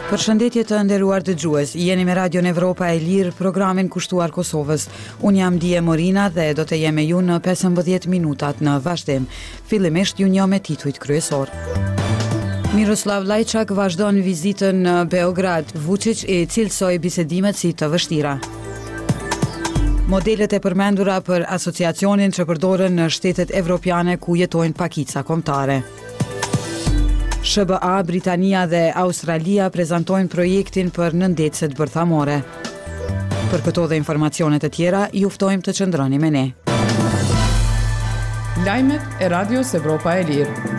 Përshëndetje të nderuar dëgjues, jeni me Radion Evropa e Lirë, programin kushtuar Kosovës. Unë jam Die Morina dhe do të jem me ju në 15 minutat në vazhdim. Fillimisht ju njoh me titujt kryesorë. Miroslav Lajçak vazhdon vizitën në Beograd. Vuçiq i cilësoi bisedimet si të vështira. Modelet e përmendura për asociacionin që përdoren në shtetet evropiane ku jetojnë pakica kombëtare. SHBA, Britania dhe Australia prezantojnë projektin për nëndetëset bërthamore. Për këto dhe informacione të tjera, ju ftojmë të qëndroni me ne. Lajmet e Radios Evropa e Lirë.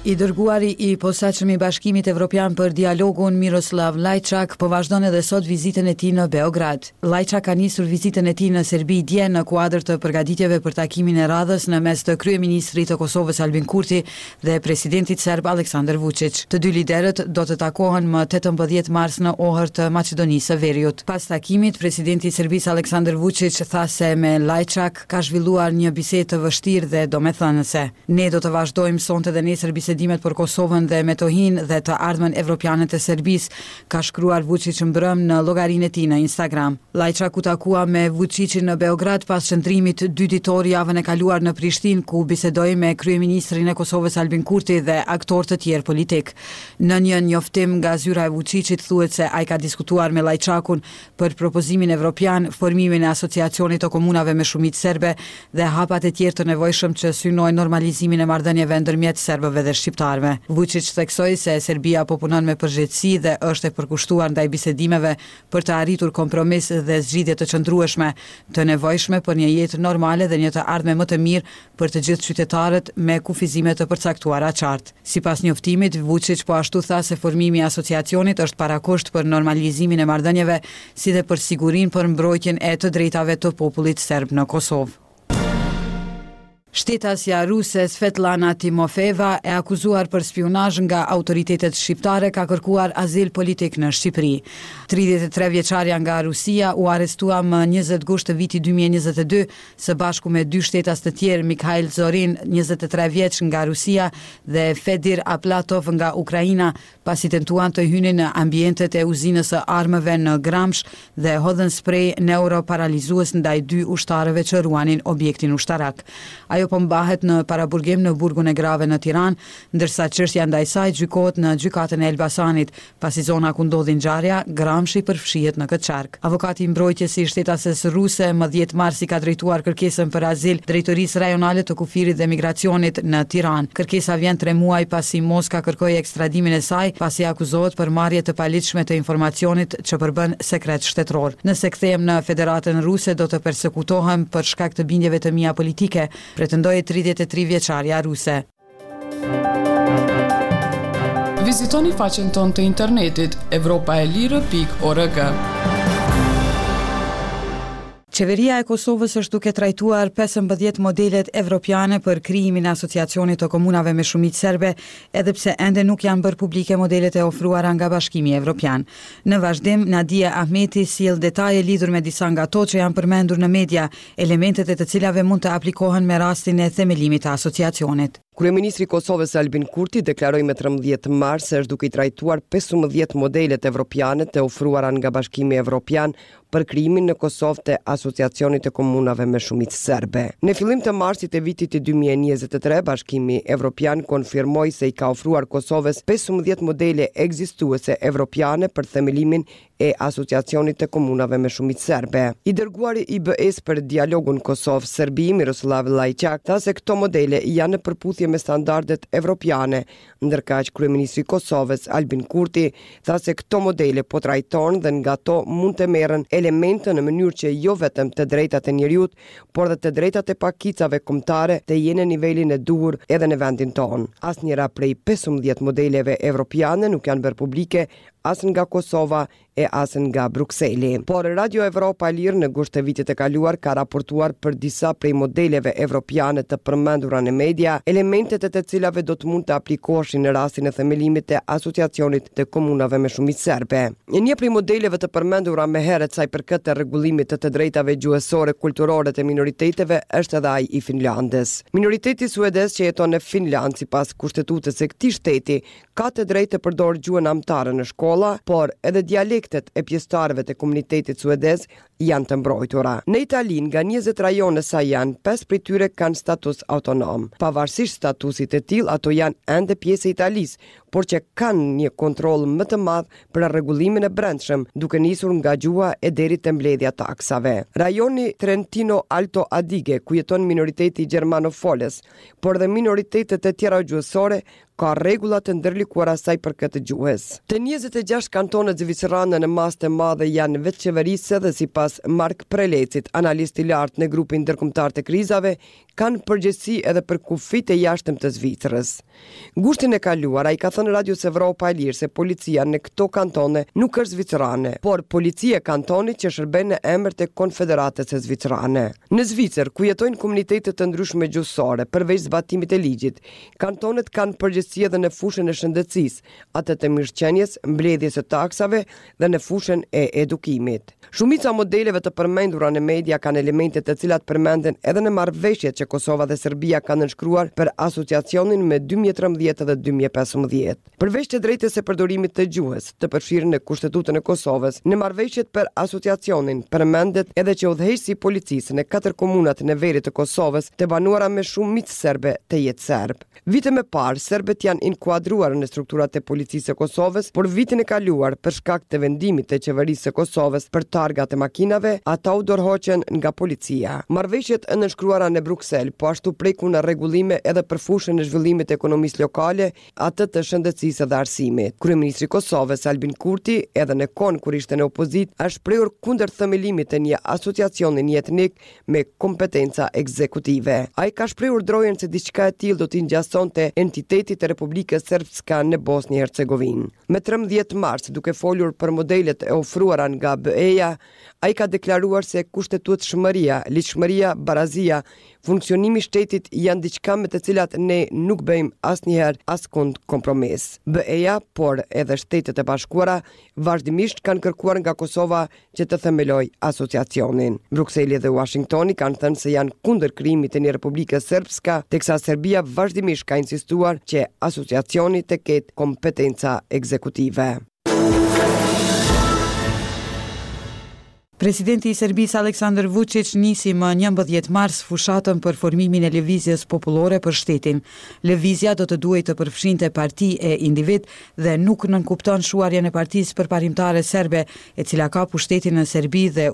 I dërguari i posaçëm i Bashkimit Evropian për dialogun Miroslav Lajçak po vazhdon edhe sot vizitën e tij në Beograd. Lajçak ka nisur vizitën e tij në Serbi dje në kuadër të përgatitjeve për takimin e radhës në mes të kryeministrit të Kosovës Albin Kurti dhe presidentit serb Aleksandër Vuçiq. Të dy liderët do të takohen më 18 mars në Ohër të Maqedonisë së Veriut. Pas takimit, presidenti i Serbisë Aleksandër Vuçiq tha se me Lajçak ka zhvilluar një bisedë të vështirë dhe domethënëse. Ne do të vazhdojmë sonte dhe nesër bisedimet për Kosovën dhe Metohinë dhe të ardhmen evropiane të Serbisë, ka shkruar Vuçiq mbrëmë në llogarinë e tij në Instagram. Lajçak u takua me Vuçiqin në Beograd pas qëndrimit dy-ditor javën e kaluar në Prishtinë, ku bisedoi me kryeministrin e Kosovës Albin Kurti dhe aktorë të tjerë politikë. Në një njoftim nga zyra e Vuçiqit thuhet se ai ka diskutuar me Lajçakun për propozimin evropian, formimin e Asociacionit të Komunave me shumicë serbe dhe hapat e tjerë të nevojshëm që synojnë normalizimin e marrëdhënieve ndërmjet serbëve dhe shqiptarëve. Vuçiq theksoi se Serbia po punon me përgjegjësi dhe është e përkushtuar ndaj bisedimeve për të arritur kompromis dhe zgjidhje të qëndrueshme, të nevojshme për një jetë normale dhe një të ardhme më të mirë për të gjithë qytetarët me kufizime të përcaktuara qartë. Sipas njoftimit, Vuçiq po ashtu tha se formimi i Asociacionit është parakusht për normalizimin e marrëdhënieve si dhe për sigurinë për mbrojtjen e të drejtave të popullit serb në Kosovë. Shtetasja ruse Svetlana Timofeeva, e akuzuar për spiunazh nga autoritetet shqiptare, ka kërkuar azil politik në Shqipëri. 33 vjeçarja nga Rusia u arrestua më 20 gusht të vitit 2022 së bashku me dy shtetas të tjerë, Mikhail Zorin, 23 vjeç nga Rusia dhe Fedir Aplatov nga Ukraina, pasi tentuan të hynin në ambientet e uzinës së armëve në Gramsh dhe hodhën sprej neuroparalizues ndaj dy ushtarëve që ruanin objektin ushtarak. Ajo po mbahet në paraburgim në burgun e grave në Tiranë, ndërsa çështja ndaj saj gjykohet në gjykatën e Elbasanit, pasi zona ku ndodhi ngjarja, Gramshi përfshihet në këtë qark. Avokati i mbrojtjes i shtetases ruse më 10 mars i ka drejtuar kërkesën për azil Drejtorisë Rajonale të Kufirit dhe Migracionit në Tiranë. Kërkesa vjen tre muaj pasi Moska kërkoi ekstradimin e saj, pasi akuzohet për marrje të paligjshme të informacionit që përbën sekret shtetëror. Nëse kthehem në Federatën Ruse do të persekutohem për shkak të bindjeve të mia politike, pretendoi 33 vjeçarja ruse. Vizitoni faqen tonë të internetit evropaelire.org. Qeveria e Kosovës është duke trajtuar 15 modelet evropiane për krijimin e Asociacionit të Komunave me shumicë serbe, edhe pse ende nuk janë bërë publike modelet e ofruara nga Bashkimi Evropian. Në vazhdim, Nadie Ahmeti sjell detaje lidhur me disa nga to që janë përmendur në media, elementet e të cilave mund të aplikohen me rastin e themelimit të asociacionit. Kryeministri i Kosovës Albin Kurti deklaroi më 13 mars se është duke i trajtuar 15 modelet evropiane të ofruara nga Bashkimi Evropian për krijimin në Kosovë të Asociacionit të Komunave me shumicë serbe. Në fillim të marsit të vitit 2023, Bashkimi Evropian konfirmoi se i ka ofruar Kosovës 15 modele ekzistuese evropiane për themelimin e Asociacionit të Komunave me shumicë serbe. I dërguari i BE-së për dialogun Kosovë-Serbi, Miroslav Lajçak, tha se këto modele janë në përputhje me standardet evropiane, ndërkaq kryeministri i Kosovës, Albin Kurti, tha se këto modele po trajtohen dhe nga to mund të merren elemente në mënyrë që jo vetëm të drejtat e njeriut, por dhe të drejtat e pakicave kombëtare të jenë në nivelin e duhur edhe në vendin tonë. Asnjëra prej 15 modeleve evropiane nuk janë bërë publike. as nga Kosova e as nga Brukseli. Por Radio Evropa e Lirë në gusht të vitit të kaluar ka raportuar për disa prej modeleve evropiane të përmendura në media, elementet e të cilave do të mund të aplikoheshin në rastin e themelimit të Asociacionit të Komunave me shumicë serbe. Një prej modeleve të përmendura më herët sa i përket të rregullimit të të drejtave gjuhësore kulturore të minoriteteve është edhe ai i Finlandës. Minoriteti suedez që jeton në Finlandë sipas kushtetutës së këtij shteti ka të drejtë të përdorë gjuhën amtare në shkolla, por edhe dialektet e pjesëtarëve të komunitetit suedez janë të mbrojtura. Në Itali, nga 20 rajone sa janë, pesë prej tyre kanë status autonom. Pavarësisht statusit të tillë, ato janë ende pjesë e Italisë, por që kanë një kontroll më të madh për rregullimin e brendshëm, duke nisur nga gjuha e deri te mbledhja e taksave. Rajoni Trentino Alto Adige, ku jeton minoriteti gjermanofolës, por dhe minoritetet e tjera gjuhësore, ka rregulla të ndërlikuara sa i përket gjuhës. Të 26 kantonet zvicerane në masë të madhe janë vetëqeverisëse dhe sipas Mark Prelecit, analist i lartë në grupin ndërkombëtar të krizave, kanë përgjegjësi edhe për kufijtë e jashtëm të Zvicrës. Gushtin e kaluar, ai ka thënë Radios Evropa e Lirë se policia në këto kantone nuk është zvicerane, por policia e kantonit që shërben në emër të Konfederatës Zvicerane. Në Zvicër, ku jetojnë komunitete të ndryshme gjuhësore, përveç zbatimit të ligjit, Kantonet kanë përgjegjësi edhe në fushën e shëndetësisë, atë të mirëqenies, mbledhjes së taksave dhe në fushën e edukimit. Shumica e modeleve të përmendura në media kanë elemente të cilat përmenden edhe në marrëveshjet që Kosova dhe Serbia kanë nënshkruar për Asociacionin më 2013 dhe 2015. Përveç të drejtës së përdorimit të gjuhës, të përfshirë në Kushtetutën e Kosovës, në marrëveshjet për Asociacionin përmendet edhe që udhëheqësi i policisë në katër komunat në veri të Kosovës, të banuara me shumicë serbe, të jetë serb. Vite më parë, serbët janë inkuadruar në strukturat e Policisë së Kosovës, por vitin e kaluar, për shkak të vendimit të Qeverisë së Kosovës për targat e makinave, ata u dorëhoqën nga policia. Marrëveshjet e nënshkruara në Bruksel po ashtu prekun rregullime edhe për fushën e zhvillimit të ekonomisë lokale, atë të shëndetësisë dhe arsimit. Kryeministri i Kosovës, Albin Kurti, edhe në kohën kur ishte në opozitë, është shprehur kundër themelimit të një asociacioni njëetnik me kompetenca ekzekutive. Ai ka shprehur drojën se diçka e tillë do t'i ngjasonte entitetit të Republikës Srpska në Bosnjë e Hercegovinë. Më 13 mars, duke folur për modelet e ofruara nga BE-ja, ai ka deklaruar se kushtetutshmëria, ligjshmëria, barazia, Funksionimi i shtetit janë diçka me të cilat ne nuk bëjmë asnjëherë askund kompromis. BE-ja, por edhe Shtetet e Bashkuara, vazhdimisht kanë kërkuar nga Kosova që të themelojë asociacionin. Brukseli dhe Uashingtoni kanë thënë se janë kundër krijimit të një Republike Srpska, teksa Serbia vazhdimisht ka insistuar që asociacioni të ketë kompetenca ekzekutive. Presidenti i Serbisë Aleksandar Vuçiq nisi më 11 mars fushatën për formimin e Lëvizjes Popullore për shtetin. Lëvizja do të duhej të përfshinte parti e individë dhe nuk nënkupton shuarjen e Partisë Përparimtare Serbe, e cila ka pushtetin në Serbi dhe.